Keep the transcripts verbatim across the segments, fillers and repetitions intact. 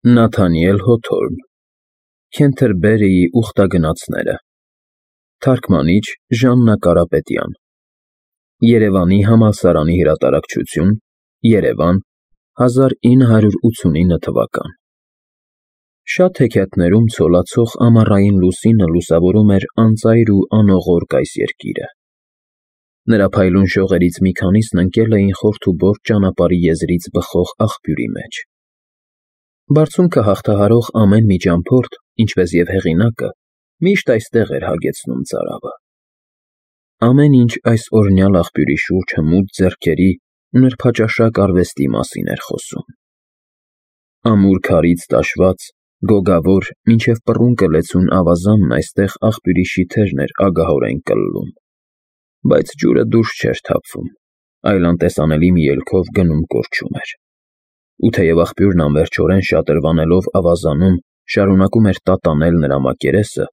Նաթանիել Հոթորն Քենթերբերիի ուխտագնացները Թարգմանիչ Ժաննա Կարապետյան Երևանի համալսարանի հրատարակչություն Երևան հազար ինը հարյուր ութսունինը թվական Շատ հեքիաթներում ցոլացող ամառային լուսինը լուսավորում էր անծայր ու անողոր կայսերգիրը։ Նրա փայլուն շողերից մի քանիսն ընկել էին խորթ ու բորդ ճանապարհի եզրից բխող աղբյուրի մեջ։ Բարձունքը հաղթահարող ամեն մի ճամփորդ, ինչպես և հեղինակը, միշտ այստեղ էր հագեցնում ծարավը։ Ամեն ինչ այս օրհնյալ աղբյուրի շուրջ հմուտ ձեռքերի ու նրբաճաշակ արվեստի մասին էր խոսում։ Ամուր քարից տաշված, գոգավոր, մինչև պռունկը լեցուն ավազանն այստեղ աղբյուրի շիթերն էր ագահորեն կլլում, բայց ջուրը դուրս չէր թափվում, այլ անտեսանելի մի ելքով գնում֊կորչում էր։ Ու թեև աղբյուրն անվերջորեն շատրվանելով ավազանում շարունակում էր տատանել նրա մակերեսը,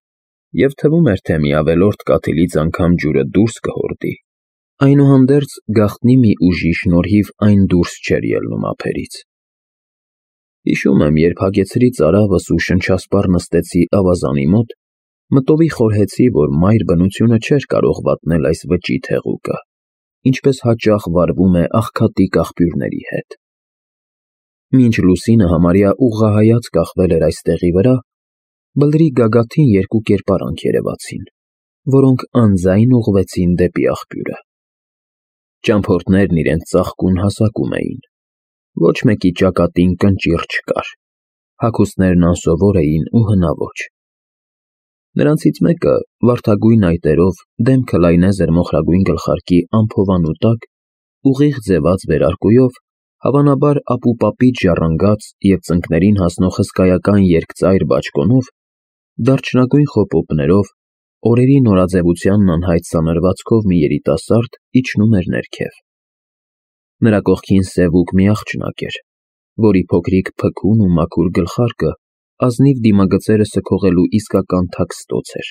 և թվում էր, թե մի ավելորդ կաթիլից անգամ ջուրը դուրս կհորդի, այնուհանդերձ գաղտնի մի ուժի շնորհիվ այն դուրս չէր ելնում ափերից։ Հիշում եմ, երբ հագեցրի ծարավս ու շնչասպառ նստեցի ավազանի մոտ, մտովի խորհեցի, որ մայր բնությունը չէր կարող վատնել այս վճիտ հեղուկը, ինչպես հաճախ վարվում է աղքատիկ աղբյուրների հետ։ Մինչ լուսինը համարյա ուղղահայաց կախվել էր այս տեղի վրա, բլրի գագաթին երկու կերպարանք երևացին, որոնք անձայն ուղղվեցին դեպի աղբյուրը։ Ճամփորդներն իրենց ծաղկուն հասակում էին, ոչ մեկի ճակատին կնճիռ չկար, հագուստներն անսովոր էին ու հնաոճ։ Նրանցից մեկը, վարդագույն այտերով, դեմքը լայնեզր մոխրագույն գլխարկի ամփովանու տակ, ուղիղ ձևած վերարկուով, հավանաբար ապուպապից ժառանգած և ծնկներին հասնող հսկայական երկծայր բաճկոնով, դարչնագույն խոպոպներով, օրերի նորաձևությանն անհայտ սանրվածքով մի երիտասարդ իջնում էր ներքև։ Նրա կողքին սևուկ մի աղջնակ էր, որի փոքրիկ փքուն ու մաքուր գլխարկը ազնիվ դիմագծերը սքողելու իսկական թաքստոց էր,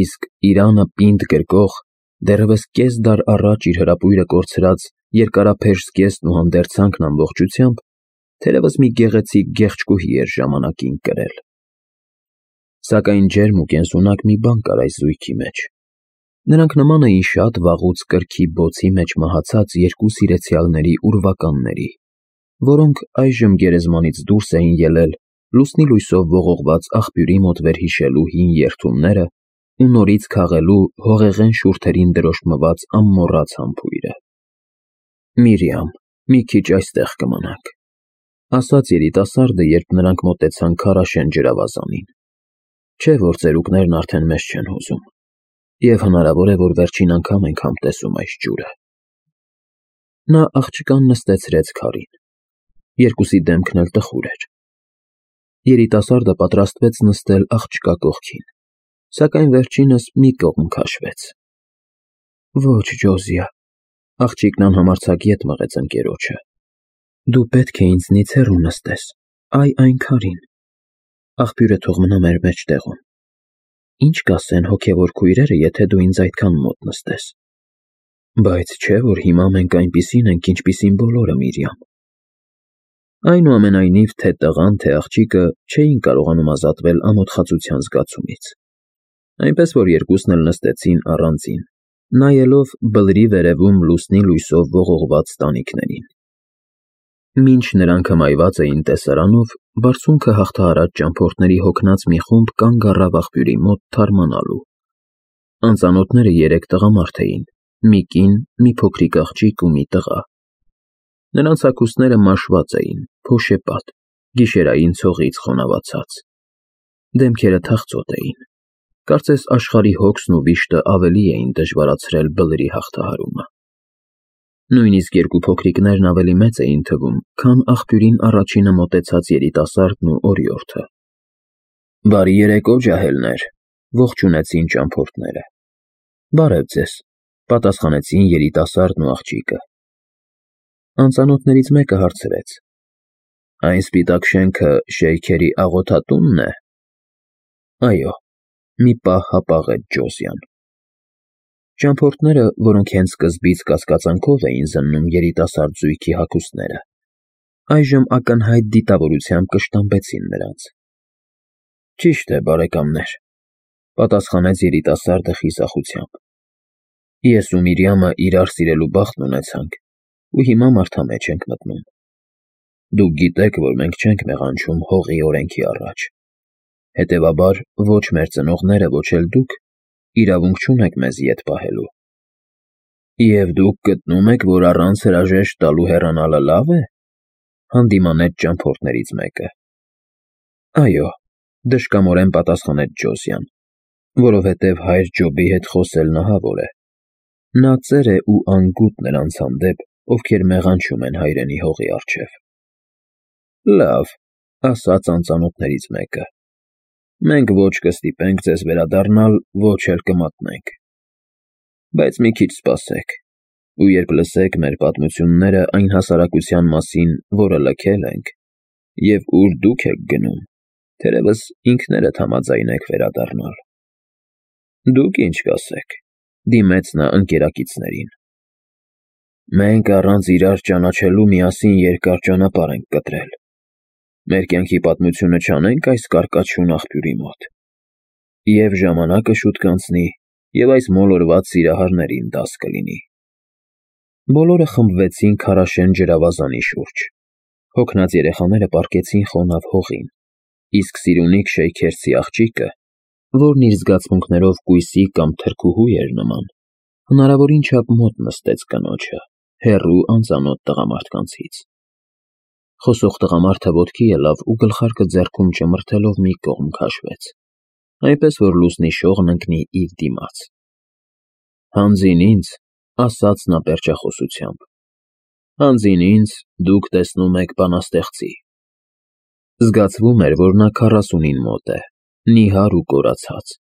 իսկ իրանը պինդ գրկող, դեռևս կես դար առաջ իր հրապույրը կորցրած երկարափեշ զգեստն ու հանդերձանքն ամբողջությամբ, թերևս մի գեղեցիկ գեղեցկուհի էր ժամանակին կրել։ Սակայն ջերմ ու կենսունակ մի բան կար այս զույգի մեջ. նրանք նման էին շատ վաղուց կրքի բոցի մեջ մահացած երկու սիրեցյալների ուրվականների, որոնք այժմ գերեզմանից դուրս էին ելել լուսնի լույսով ողողված աղբյուրի մոտ վերհիշելու հին երդումները ու նորից քաղելու հողեղեն շուրթերին դրոշմված անմոռաց համբույրը։ Միրիամ, մի քիչ այստեղ կմնանք, ֊ ասաց երիտասարդը, երբ նրանք մոտեցան քարաշեն ջրավազանին, չէ՞ որ ծերուկներն արդեն մեզ չեն հուզում, և հնարավոր է, որ վերջին անգամ ենք համտեսում այս ջուրը։ Նա աղջկան նստեցրեց քարին, երկուսի դեմքն էլ տխուր էր։ Երիտասարդը պատրաստվեց նստել աղջկա կողքին, սակայն վերջինս մի կողմ քաշվեց։ Ոչ, Ջոզիա, ֊ աղջիկն անհամարձակ ետ մղեց ընկերոջը, ֊ դու պետք է ինձնից հեռու նստես, այ այն քարին, աղբյուրը թող մնա մեր մեջտեղում։ Ինչ կասեն հոգևոր քույրերը, եթե դու ինձ այդքան մոտ նստես։ Բայց չէ՞ որ հիմա մենք այնպիսին ենք, ինչպիսին բոլորը, Միրիամ։ Այնուամենայնիվ, թե տղան, թե աղջիկը չէին կարողանում ազատվել ամոթխածության զգացումից, այնպես որ երկուսն էլ նստեցին առանձին, նայելով բլրի վերևում լուսնի լույսով ողողված տանիքներին։ Մինչ նրանք հմայված էին տեսարանով, բարձունքը հաղթահարած ճամփորդների հոգնած մի խումբ կանգ առավ աղբյուրի մոտ թարմանալու։ Անծանոթները երեք տղամարդ էին, մի կին, մի փոքրիկ աղջիկ ու մի տղա։ Նրանց հագուստները մաշված էին, փոշեպատ, գիշերային ցողից խոնավացած։ Դեմքերը թախծոտ էին, կարծես աշխարհի հոգսն ու վիշտը ավելի էին դժվարացրել բլրի հաղթահարումը։ Նույնիսկ երկու փոքրիկներն ավելի մեծ էին թվում, քան աղբյուրին առաջինը մոտեցած երիտասարդն ու օրիորդը։ Բարի երեկո, ջահելներ, ֊ ողջունեցին ճամփորդները։ Բարև ձեզ, ֊ պատասխանեցին երիտասարդն ու աղջիկը։ Անծանոթներից մեկը հարցրեց. Այն սպիտակ շենքը շեյքերի աղոթատո՞ւնն է։ Այո, ֊ մի պահ հապաղեց Ջոզյան։ Ճամփորդները, որոնք հենց սկզբից կասկածանքով էին զննում երիտասարդ զույգի հագուստները, այժմ ակնհայտ դիտավորությամբ կշտամբեցին նրանց։ Ճիշտ է, բարեկամներ, պատասխանեց երիտասարդը խիզախությամբ։ Ես ու Միրյամը իրար սիրելու բախտն ունեցանք, ու հիմա մարդամեջ ենք մտնում։ Դուք գիտեք, որ մենք չենք մեղանչում հողի օրենքի առաջ։ Հետևաբար, ոչ մեր ծնողները, ոչ էլ դուք իրավունք չունեք մեզ ետ պահելու։ Եվ դուք գտնում եք, որ առանց հրաժեշտ տալու հեռանալը լավ է, հանդիմանեց ճամփորդներից մեկը։ Այո, դժկամորեն պատասխանեց Ջոսյան, որովհետև հայր Ջոբի հետ խոսելն ահավոր է։ Նա ծեր է ու անգութ նրանց հանդեպ, ովքեր մեղանչում են հայրենի հողի առջև։ Լավ, ասաց անծանոթներից մեկը։ Մենք ոչ կստիպենք ձեզ վերադառնալ, ոչ էլ կմատնենք։ Բայց մի քիչ սպասեք, ու երբ լսեք մեր պատմությունները այն հասարակության մասին, որը լքել ենք, և ուր դուք եք գնում, թերևս ինքներդ համաձայնեք վերադառնալ։ Դուք ինչ կասեք, դիմեց նա ընկերակիցներին։ Մենք առանց իրար ճանաչելու միասին երկար ճանապարհ ենք կտրել։ Մեր կյանքի պատմությունը չանենք այս կարկաչուն աղբյուրի մոտ։ Եվ ժամանակը շուտ կանցնի, և այս մոլորված սիրահարներին դաս կլինի։ Բոլորը խմբվեցին քարաշեն ջրավազանի շուրջ։ Հոգնած երեխաները պառկեցին խոնավ հողին, իսկ Սիրունիկ Շեյքերցի աղջիկը, որն իր զգացմունքներով կույսի կամ թրքուհու էր նման, հնարավորին չափ մոտ նստեց կնոջը, հեռու անծանոթ տղամարդկանցից։ Խոսող տղամարդը ոտքի ելավ ու գլխարկը ձեռքում ճմրթելով մի կողմ քաշվեց, այնպես որ լուսնի շողն ընկնի իր դիմաց։ Հանձին ինձ, ասաց նա պերճախոսությամբ, հանձին ինձ դուք տեսնում եք բանաստեղծի։ Զգացվում էր, որ նա քառասունին մոտ է, նիհար ու կորացած,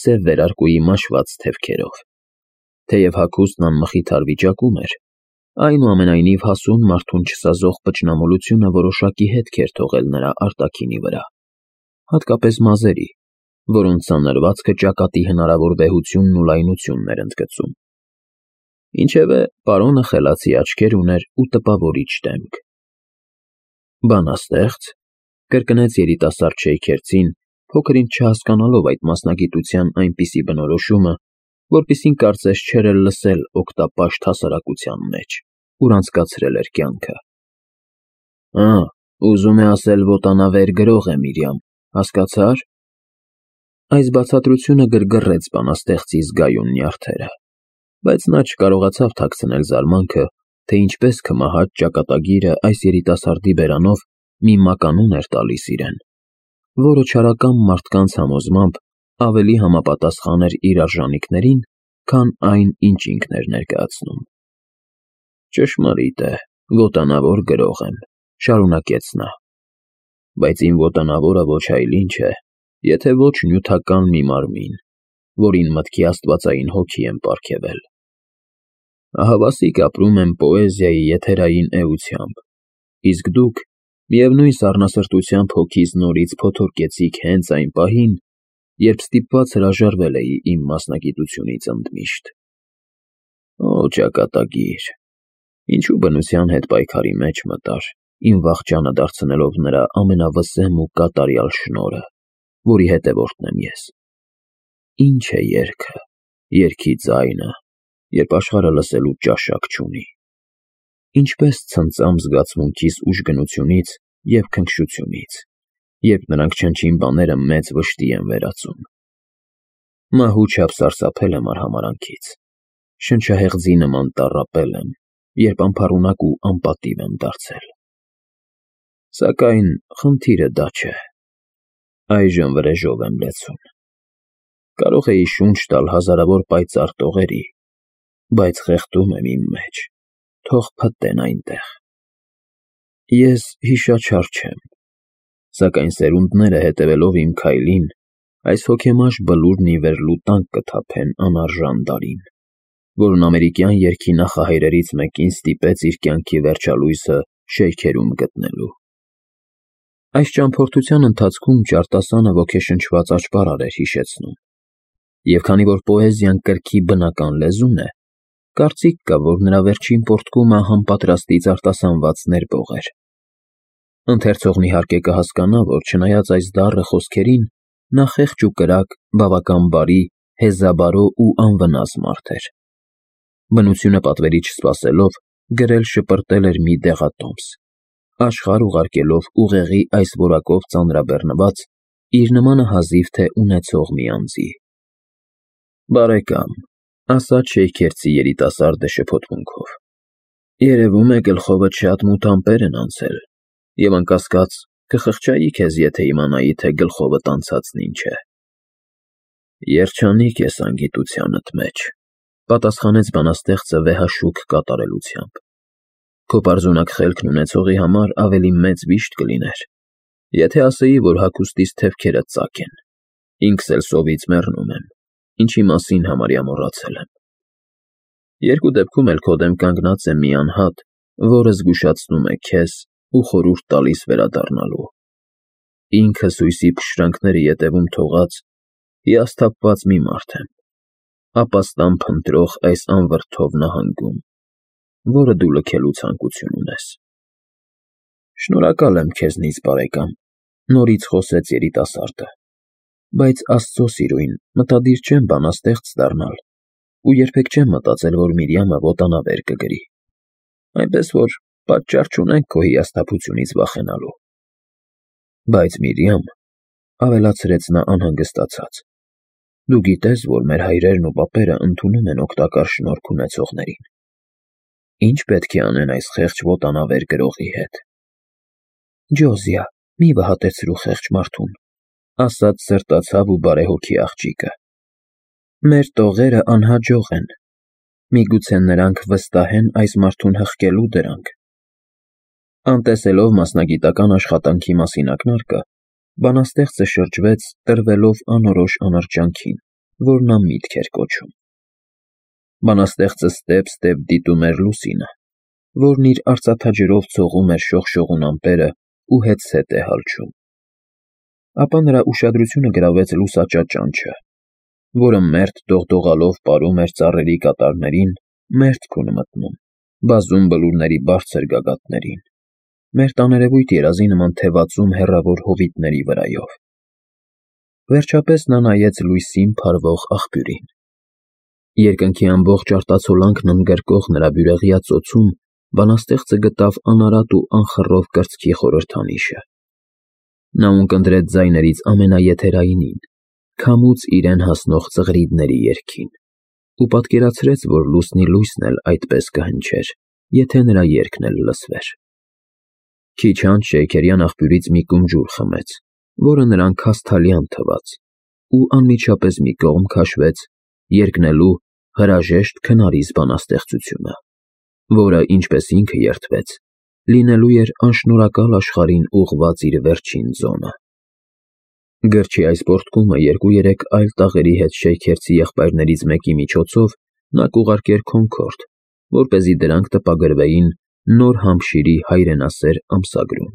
սև վերարկուի մաշված թևքերով։ Թեև հագուստն անմխիթար վիճակում էր, այնուամենայնիվ հասուն մարդուն չսազող պճնամոլությունը որոշակի հետք էր թողել նրա արտաքինի վրա, հատկապես մազերի, որոնց սանրվածքը ճակատի հնարավոր վեհությունն ու լայնությունն էր ընդգծում։ Ինչևէ, պարոնը խելացի աչքեր ուներ ու տպավորիչ դեմք։ Բանաստեղծ, կրկնեց երիտասարդ Շեյքերցին, փոքր-ինչ չհասկանալով այդ մասնագիտության այնպիսի բնորոշումը, որպիսին կարծես չէր էլ լսել օգտապաշտ հասարակության մեջ, ուր անցկացրել էր կյանքը։ Ա, ուզում է ասել ոտանավեր գրող է Միրյամ, հասկացա՞ր։ Այս բացատրությունը գրգռեց բանաստեղծի զգայուն նյարդերը, բայց նա չկարողացավ թաքցնել զարմանքը, թե ինչպես քմահաճ ճակատագիրը այս երիտասարդի բերանով մի մականուն էր տալիս իրեն, որը չարակամ մարդկանց համոզմամբ ավելի համապատասխան էր իր արժանիքներին, քան այն, ինչ ինքն էր ներկայացնում։ Ճշմարիտ է, ոտանավոր գրող եմ, շարունակեց նա, բայց իմ ոտանավորը ոչ այլ ինչ է, եթե ոչ նյութական մի մարմին, որին մտքի աստվածային հոգի եմ պարգևել։ Ահավասիկ ապրում եմ պոեզիայի եթերային էությամբ, իսկ դուք միևնույն սառնասրտությամբ հոգիս նորից փոթորկեցիք հենց այն պահին, երբ ստիպված հրաժարվել էի իմ մասնագիտությունից ընդմիշտ։ Օ, ճակատագիր, ինչու բնության հետ պայքարի մեջ մտար, իմ վախճանը դարձնելով նրա ամենավսեմ ու կատարյալ շնորհը, որի հետևորդն եմ ես։ Ինչ է երգը, երգի ձայնը, երբ աշխարհը լսելու ճաշակ չունի։ Ինչպես ցնծամ զգացմունքիս ուժգնությունից և քնքշությունից, երբ նրանք չնչին բաները մեծ վշտի են վերածում։ Մահու չափ սարսափել եմ արհամարանքից, շնչահեղձի նման տառապել եմ, երբ անփառունակ ու անպատիվ եմ դարձել։ Սակայն խնդիրը դա չէ։ Այժմ վրեժով եմ լեցուն։ Կարող էի շունչ տալ հազարավոր պայծառ տողերի, բայց խեղդում եմ իմ մեջ, թող փտտեն այնտեղ։ Ես հիշաչար չեմ, սակայն սերունդները հետևելով իմ քայլին, այս հոգեմաշ բլուրն ի վեր լուտանք կթափեն անարժան դարին, որն ամերիկյան երգի նախահայրերից մեկին ստիպեց իր կյանքի վերջալույսը շեյքերում գտնելու։ Այս ճամփորդության ընթացքում ջարտասանը ոգեշնչված աճպարար էր հիշեցնում, և քանի որ պոեզիան կրքի բնական լեզուն է, կարծիք կա, որ նրա վերջին պոռթկումը համապատրաստից արտասանված ներբող էր։ Ընթերցողն իհարկե կհասկանա, որ չնայած այս դառը խոսքերին, նա խեղճ ու կրակ, բավական բարի, հեզաբարո ու անվնաս մարդ էր։ Բնությունը պատվերի չսպասելով, գրել շպրտել էր մի դեղատոմս, աշխարհ ուղարկելով ուղեղի այս որակով ծանրաբեռնված, իր նմանը հազիվ թե ունեցող մի անձի։ Բարեկամ, ասաց Շեյքերտի երիտասարդը շփոթմունքով, երևում է գլխովդ շատ մութ ամպեր են անցել, և անկասկած կխղճայի քեզ, եթե իմանայի, թե գլխովդ անցածն ինչ է։ Երջանիկ ես անգիտությանդ մեջ, պատասխանեց բանաստեղծը վեհաշուք կատարելությամբ։ Քո պարզունակ խելքն ունեցողի համար ավելի մեծ վիշտ կլիներ, եթե ասեի, որ հագուստիս թևքերդ ծակ են, ինքս էլ սովից մեռնում եմ, ինչի մասին համարյա մոռացել եմ։ Երկու դեպքում էլ քո դեմ կանգնած է մի անհատ, որը զգուշացնում է քեզ ու խորհուրդ տալիս վերադառնալու։ Ինքս հույսի փշրանքները ետևում թողած, հիասթափված մի մարդ եմ, ապաստան փնտրող այս անվրդով նահանգում, որը դու լքելու ցանկություն ունես։ Շնորհակալ եմ քեզնից, բարեկամ, նորից խոսեց երիտասարդը, բայց Աստծո սիրույն, մտադիր չեմ բանաստեղծ դառնալ ու երբեք չեմ մտածել, որ Միրիամը ոտանավեր կգրի, այնպես որ պատճառ չունենք քո հիասթափությունից վախենալու։ Բայց Միրիամ, ավելացրեց նա անհանգստացած, դու գիտես, որ մեր հայրերն ու պապերը ընդունում են օգտակար շնորհք ունեցողներին։ Ինչ պետք է անեն այս խեղճ ոտանավեր գրողի հետ։ Ջոզիա, մի վհատեցրու խեղճ մարդուն, ասաց սրտացավ ու բարեհոգի աղջիկը։ Մեր տողերը անհաջող են, միգուցե նրանք վստահեն այս մարդուն հղկելու դրանք։ Անտեսելով մասնագիտական աշխատանքի մասին ակնարկը, բանաստեղծը շրջվեց, տրվելով անորոշ անրջանքին, որ նա միտք էր կոչում։ Բանաստեղծը ստեպ-ստեպ դիտում էր լուսինը, որն իր արծաթաջրով ցողում էր շողշողուն ամպերը ու հետզհետե է հալչում։ Ապա նրա ուշադրությունը գրավեց լուսաճա ճանճը, որը մերթ դողդողալով պարում էր ծառերի կատարներին, մերթք ու մտնում, բազում բլուրների բարձր գագաթներին, մերթ աներևույթ երազի նման թևածում հեռավոր հովիտների վրայով։ Վերջապես նա նայեց լույսին փարվող աղբյուրին։ Երկնքի ամբողջ արտացոլանքն ընդգրկող նրա բյուրեղյա ծոցում բանաստեղծը գտավ անարատ ու անխռով կրծքի խորհրդանիշը։ Նա ունկնդրեց ձայներից ամենաեթերայինին, քամուց իրեն հասնող ծղրիդների երգին, ու պատկերացրեց, որ լուսնի լույսն էլ այդպես կհնչեր, եթե նրա երգն էլ լսվեր։ Քիչ անց շեյքերյան աղբյուրից մի կում ջուր խմեց, որը նրան քասթալյան թվաց, ու անմիջապես մի կողմ քաշվեց երգնելու հրաժեշտ քնարիս բանաստեղծությունը, որը, ինչպես ինքը երդվեց, լինելու էր անշնորհակալ աշխարհին ուղղված իր վերջին ձոնը։ Գրչի այս պոռթկումը երկու-երեք այլ տաղերի հետ Շեյքերտի եղբայրներից մեկի միջոցով նա կուղարկեր Քոնքորդ, որպեսզի դրանք տպագրվեին Նոր Համշիրի հայրենասեր ամսագրում։